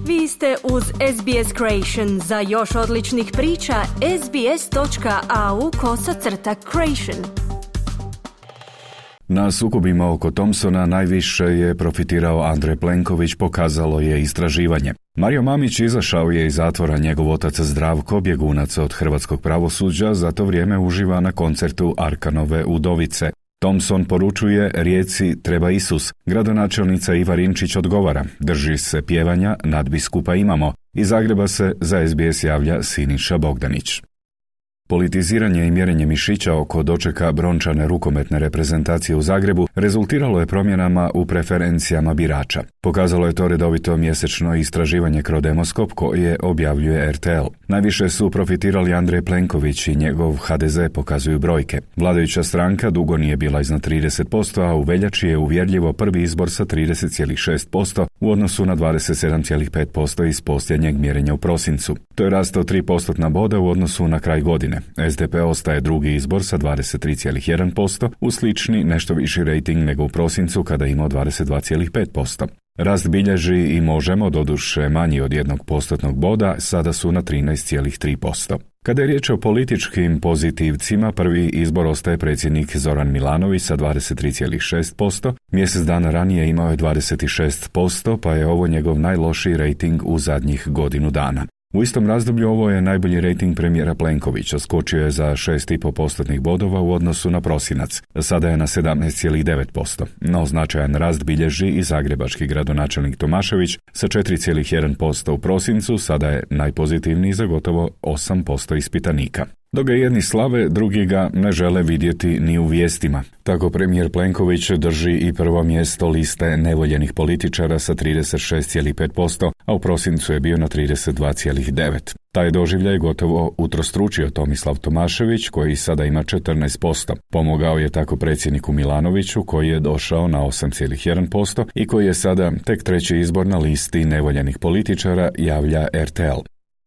Vi ste uz SBS Creation. Za još odličnih priča, sbs.au/creation. Na sukobima oko Thompsona najviše je profitirao Andrej Plenković, pokazalo je istraživanje. Mario Mamić izašao je iz zatvora, njegov otac Zdravko, bjegunac od hrvatskog pravosuđa, za to vrijeme uživa na koncertu Arkanove Udovice. Thompson poručuje Rijeci treba Isus. Gradonačelnica Iva Rinčić odgovara, drži se pjevanja, nadbiskupa imamo. Iz Zagreba se za SBS javlja Siniša Bogdanić. Politiziranje i mjerenje mišića oko dočeka brončane rukometne reprezentacije u Zagrebu rezultiralo je promjenama u preferencijama birača. Pokazalo je to redovito mjesečno istraživanje Crodemoskop koje objavljuje RTL. Najviše su profitirali Andrej Plenković i njegov HDZ, pokazuju brojke. Vladajuća stranka dugo nije bila iznad 30%, a u veljači je uvjerljivo prvi izbor sa 30,6% u odnosu na 27,5% iz posljednjeg mjerenja u prosincu. To je rast od 3% boda u odnosu na kraj godine. SDP ostaje drugi izbor sa 23,1%, uz slični nešto viši rejting nego u prosincu kada je imao 22,5%. Rast bilježi i Možemo, doduše manji od 1% boda, sada su na 13,3%. Kada je riječ o političkim pozitivcima, prvi izbor ostaje predsjednik Zoran Milanović sa 23,6%, mjesec dana ranije imao je 26%, pa je ovo njegov najlošiji rejting u zadnjih godinu dana. U istom razdoblju ovo je najbolji rejting premijera Plenkovića, skočio je za 6,5% bodova u odnosu na prosinac. Sada je na 17,9%, no značajan rast bilježi i zagrebački gradonačelnik Tomašević sa 4,1% u prosincu, sada je najpozitivniji za gotovo 8% ispitanika. Dok ga jedni slave, drugi ga ne žele vidjeti ni u vijestima. Tako premijer Plenković drži i prvo mjesto liste nevoljenih političara sa 36,5%, a u prosincu je bio na 32,9%. Taj doživljaj gotovo utrostručio Tomislav Tomašević, koji sada ima 14%. Pomogao je tako predsjedniku Milanoviću, koji je došao na 8,1% i koji je sada tek treći izbor na listi nevoljenih političara, javlja RTL.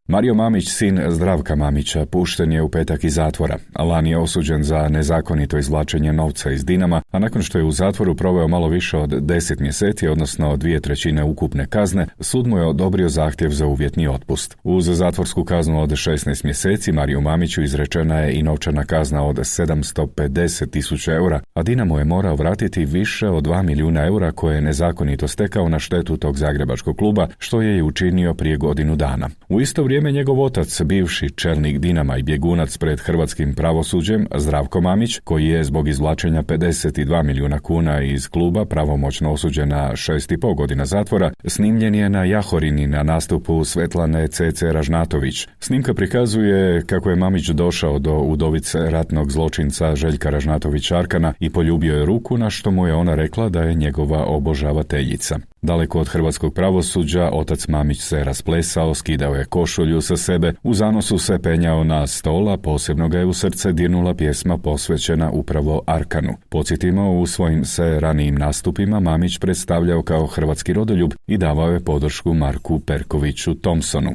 Mario Mamić, sin Zdravka Mamića, pušten je u petak iz zatvora. Lani je osuđen za nezakonito izvlačenje novca iz Dinama, a nakon što je u zatvoru proveo malo više od 10 mjeseci, odnosno 2/3 ukupne kazne, sud mu je odobrio zahtjev za uvjetni otpust. Uz zatvorsku kaznu od 16 mjeseci, Mariju Mamiću izrečena je i novčana kazna od 750.000 eura, a Dinamo je morao vratiti više od 2 milijuna eura koje je nezakonito stekao na štetu tog zagrebačkog kluba, što je i učinio prije godinu dana. U isto vrijeme njegov otac, bivši čelnik Dinama i bjegunac pred hrvatskim pravosuđem, Zdravko Mamić, koji je zbog izvlačenja 52 milijuna kuna iz kluba pravomoćno osuđen na 6,5 godina zatvora, snimljen je na Jahorini na nastupu Svetlane C.C. Ražnatović. Snimka prikazuje kako je Mamić došao do udovice ratnog zločinca Željka Ražnatovića Arkana i poljubio je ruku, na što mu je ona rekla da je njegova obožavateljica. Daleko od hrvatskog pravosuđa, otac Mamić se rasplesao, skidao je košulju sa sebe, u zanosu se penjao na stola, posebno ga je u srce dirnula pjesma posvećena upravo Arkanu. Podsjetimo, u svojim se ranijim nastupima Mamić predstavljao kao hrvatski rodoljub i davao je podršku Marku Perkoviću Thompsonu.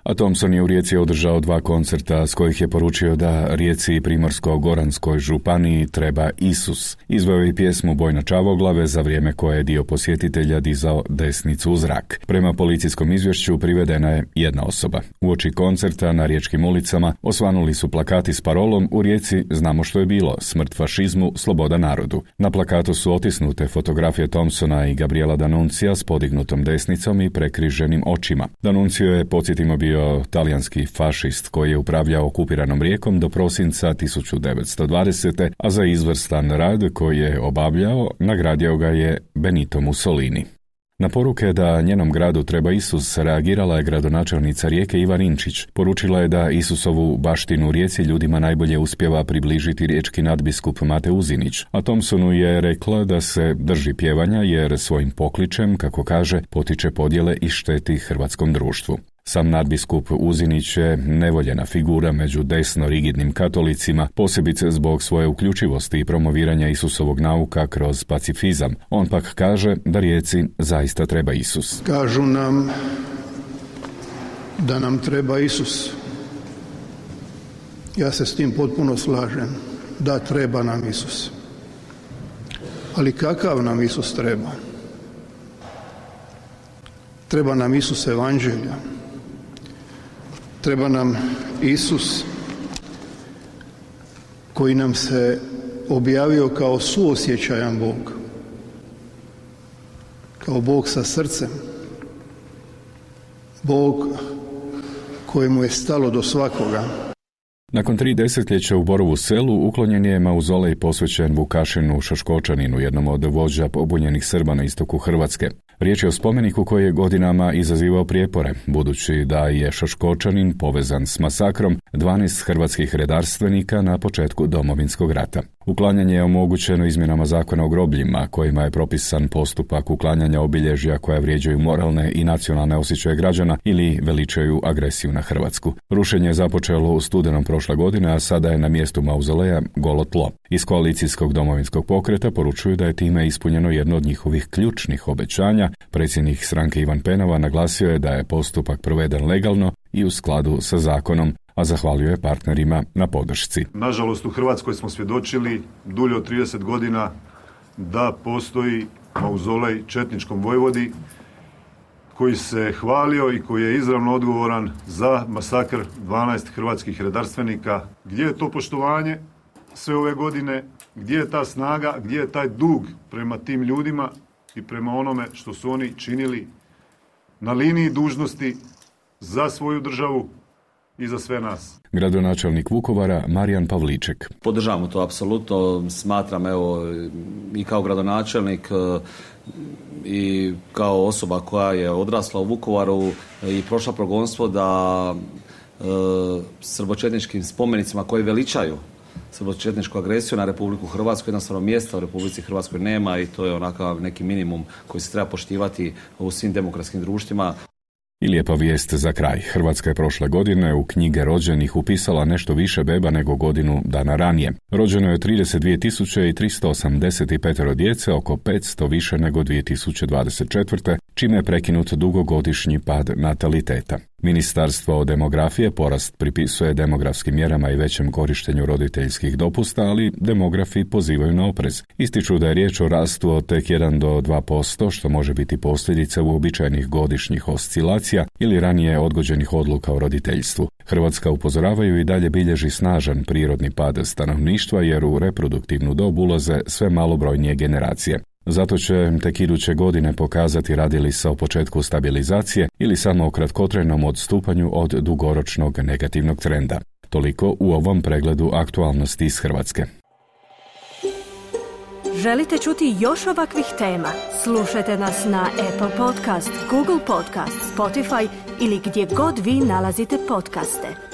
A Thompson je u Rijeci održao 2 koncerta s kojih je poručio da Rijeci i Primorsko-goranskoj županiji treba Isus. Izveo je i pjesmu Boj na Čavoglave, za vrijeme koje je dio posjetitelja dizao desnicu u zrak. Prema policijskom izvješću privedena je jedna osoba. Uoči koncerta na riječkim ulicama osvanuli su plakati s parolom "U Rijeci znamo što je bilo, smrt fašizmu, sloboda narodu". Na plakatu su otisnute fotografije Thompsona i Gabriela D'Annunzia s podignutom desnicom i prekriženim očima. D'Annunzio je, podsjetimo, bio talijanski fašist koji je upravljao okupiranom Rijekom do prosinca 1920. a za izvrstan rad koji je obavljao nagradio ga je Benito Mussolini. Na poruke da njenom gradu treba Isus reagirala je gradonačelnica Rijeke Iva Rinčić. Poručila je da Isusovu baštinu u Rijeci ljudima najbolje uspijeva približiti riječki nadbiskup Mate Uzinić, a Thompsonu je rekla da se drži pjevanja jer svojim pokličem, kako kaže, potiče podjele i šteti hrvatskom društvu. Sam nadbiskup Uzinić je nevoljena figura među desno rigidnim katolicima, posebice zbog svoje uključivosti i promoviranja Isusovog nauka kroz pacifizam. On pak kaže da Rijeci zaista treba Isus. Kažu nam da nam treba Isus. Ja se s tim potpuno slažem. Da, treba nam Isus. Ali kakav nam Isus treba? Treba nam Isus evanđelja. Treba nam Isus koji nam se objavio kao suosjećajan Bog. Kao Bog sa srcem. Bog kojemu je stalo do svakoga. Nakon 3 desetljeća u Borovu Selu uklonjen je mauzolej posvećen Vukašinu Šaškočaninu, jednom od vođa pobunjenih Srba na istoku Hrvatske. Riječ je o spomeniku koji je godinama izazivao prijepore, budući da je Šaškočanin povezan s masakrom 12 hrvatskih redarstvenika na početku Domovinskog rata. Uklanjanje je omogućeno izmjenama zakona o grobljima, kojima je propisan postupak uklanjanja obilježja koja vrijeđaju moralne i nacionalne osjećaje građana ili veličaju agresiju na Hrvatsku. Rušenje je započelo u studenom prošle godine, a sada je na mjestu mauzoleja golo tlo. Iz koalicijskog Domovinskog pokreta poručuju da je time ispunjeno jedno od njihovih ključnih obećanja. Predsjednik stranke Ivan Penava naglasio je da je postupak proveden legalno i u skladu sa zakonom, a zahvalio je partnerima na podršci. Nažalost, u Hrvatskoj smo svjedočili dulje od 30 godina da postoji mauzolej četničkom vojvodi koji se hvalio i koji je izravno odgovoran za masakr 12 hrvatskih redarstvenika. Gdje je to poštovanje sve ove godine? Gdje je ta snaga? Gdje je taj dug prema tim ljudima i prema onome što su oni činili na liniji dužnosti za svoju državu i za sve nas? Gradonačelnik Vukovara Marijan Pavliček. Podržavamo to apsolutno, smatram i kao gradonačelnik i kao osoba koja je odrasla u Vukovaru i prošla progonstvo da srbočetničkim spomenicima koji veličaju srbočetničku agresiju na Republiku Hrvatsku, jednostavno mjesta u Republici Hrvatskoj nema i to je onakav neki minimum koji se treba poštivati u svim demokratskim društvima. I lijepa vijest za kraj. Hrvatska je prošle godine u knjige rođenih upisala nešto više beba nego godinu dana ranije. Rođeno je 32.385 djece, oko 500 više nego 2024. čime je prekinut dugogodišnji pad nataliteta. Ministarstvo demografije porast pripisuje demografskim mjerama i većem korištenju roditeljskih dopusta, ali demografi pozivaju na oprez. Ističu da je riječ o rastu od tek 1 do 2%, što može biti posljedica uobičajenih godišnjih oscilacija ili ranije odgođenih odluka o roditeljstvu. Hrvatska, upozoravaju, i dalje bilježi snažan prirodni pad stanovništva jer u reproduktivnu dob ulaze sve malobrojnije generacije. Zato će tek iduće godine pokazati radi li se o početku stabilizacije ili samo o kratkotrajnom odstupanju od dugoročnog negativnog trenda. Toliko u ovom pregledu aktualnosti iz Hrvatske. Želite čuti još ovakvih tema? Slušajte nas na Apple Podcast, Google Podcast, Spotify ili gdje god vi nalazite podcaste.